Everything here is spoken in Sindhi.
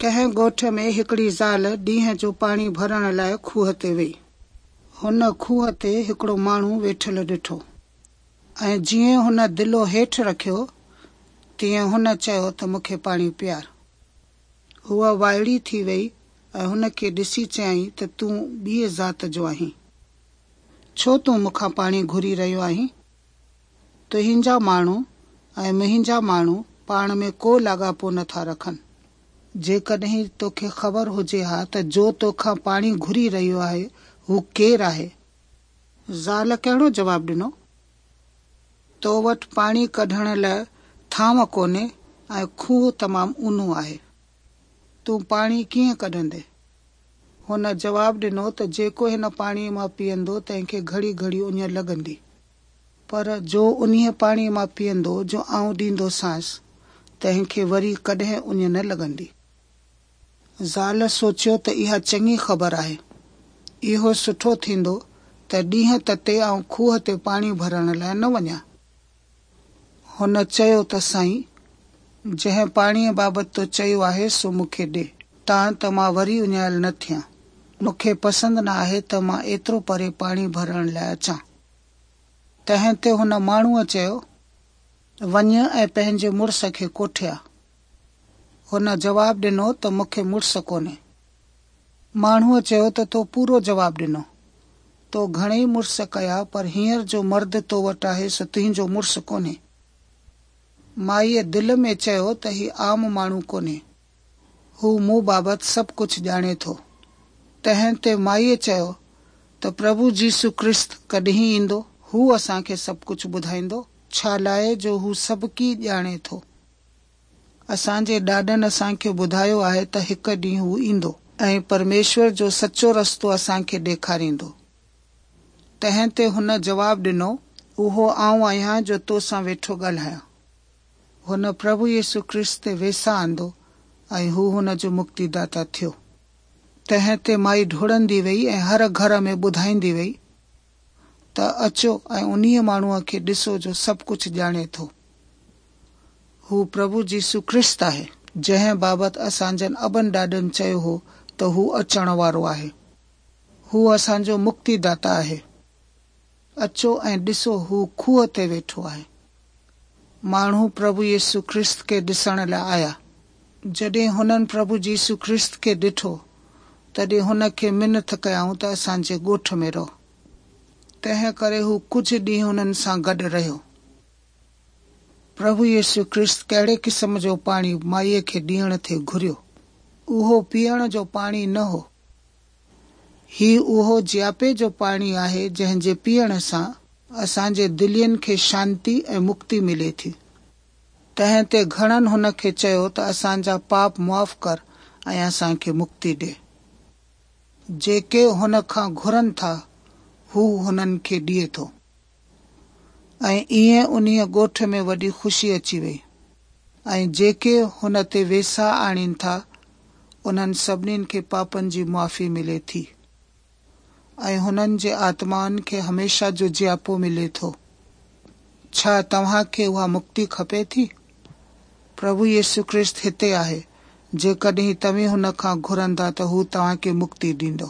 ڪنهن ڳوٺ ۾ هڪڙي زال ڏينهن جو پاڻي ڀرڻ لاء کوهه تي وئي. هن کوهه تي هڪڙو ماڻهو ويٺل ڏٺو ۽ جيئن هن دلو هيٺ رکيو، تيئن هن چيو ته مون کي پاڻي پيار. هوء وائڙي ٿي وئي ۽ هن کي ڏسي چيائين ته تون ٻيء ذات جو آهين. ڇو تون مون کان پاڻي گهري رهيو آهين؟ تنهنجا ماڻهو ۽ منهنجا ماڻهو پاڻ ۾ ڪو لاڳاپو نه ٿا رکن. جيڪڏهن توکي خبر هجي ها ته جو توکان پاڻي گهري رهيو آهي، هو ڪير آهي؟ زال ڪهڙو جواب ڏنو؟ تو وٽ پاڻي ڪڍڻ لاء ٿانو ڪونهي ۽ کوهه تمام اونهو آهي. تون پاڻي ڪيئن ڪڍندين؟ هن جواب ڏنو ته جيڪو هن پاڻيء مان پيئندو، تنهن کي گهڙي گهڙي اڃ لڳندي. پر جو انهيء پاڻيء مان پيئندو جو آئون ڏيندوسانس، تنهن کي وري ڪڏهن اڃ نه لڳندي. زال سوچيو ته اها چڱي خبر آهي. اهو سٺو ٿيندو ته ڏينهن تتي آئون کوهه تي پاڻي ڀرڻ لاء نه وڃان. هن چيو ته سائين، جنهن پاڻيء بابت تو چيو آهي سو مون کي ڏي، تان ته مان وري اڃايل نه ٿيان. مون کي پسند نه آهي ته مان ايترو پري پاڻي ڀرڻ لاء اچان. تنهن تي هن ماڻهوء چيو، وڃ ۽ پنهنجي مڙس کي ڪوٺي آ. هن جواب ڏنو ته مون کي مڙس ڪونهي. ماڻهوء چيو ته تو پورو جواب ڏنو. تو گهڻيئي مڙس ڪيا پر هينئر جو مرد تو وٽ آهي سو تنهنجو مڙس ڪونهي. مائيء دل ۾ چيو ته هي عام ماڻهو ڪونهي. هو مون بابت سڀ ڪجهه ڄاڻي ٿو. تنهن تي مائيء چيو ته پرڀو جيسو ڪرست ڪڏهن ايندو؟ هو اسان کي سڀ ڪجهه ٻڌائيندو، ڇالاء جو هو سڀڪي ڄاڻي ٿو. اسان جي ڏاڏن اسان کي ٻڌايو آهي ته هڪ ڏينهن هو ايندو ۽ پرميشور جو سچو رستو اسان کي ڏيکاريندو. تنهن تي هن جواب ڏنو، اهو آئون آهيان جو تو سان ويٺو ڳالهايان. هن پرڀو يسوع ڪرست تي ويساهه آندو ۽ هو هن جو مڪتيداتا ٿيو. تنهن تي مائي ڊوڙندي وئي ۽ هر گهر ۾ ٻڌائيندي وئي ته اچو ۽ انهيء ماڻهوء کي ڏسو جو سڀ ڪجهه ڄاڻي ٿو. هو پرڀو يسوع ڪرست آهي، جنهن بابت اسان جن ابن ڏاڏن چيو هو ته هو اچڻ وارو آهي. هو اسان جو مڪتيداتا آهي. اچو ۽ ڏسو هو کوهه تي ويٺو آهي. ماڻهو پرڀو يسوع ڪرست کي ڏسڻ لاء آيا. جڏهن هنن پرڀو يسوع ڪرست کي ڏٺو، تڏهن هن کي منٿ ڪيائون ته اسان جي ڳوٺ ۾ رهه. تنهن ڪري هو ڪجهه ڏينهن هنن سان گڏ رهيو. پرڀو يسوع ڪرست ڪهڙي قسم جو پاڻي مائيء کي ڏيڻ ٿي گهريو؟ اهو پيئڻ جو پاڻي نه هو. هي اهو جياپي جو پاڻي آهي جنهن جي پيئڻ سان اسان جي دلين کي شانتي ۽ مڪتي ملي ٿي. تنهن تي گهڻن هن کي چيو ته اسان جا پاپ معاف ڪر ۽ اسان کي مڪتي ڏي. جيڪي هن کان گهرن ٿا، هو هنن کي ڏئي ٿو. ۽ ائين انهيء ڳوٺ ۾ وڏي خوشي اچي وئي ۽ جيڪي هن تي ويساهه آڻين ٿا، انهن سڀني کي پاپن جي معافي ملي ٿي ۽ هنن جي آتمائن کي هميشه جو جياپو ملي ٿو. ڇا توهان کي اها مڪتي کپي ٿي؟ پرڀو يسوع ڪرست هتي آهي، جيڪڏهن توهين هن کان گهرندا ته هو توهان کي مڪتي ڏيندو.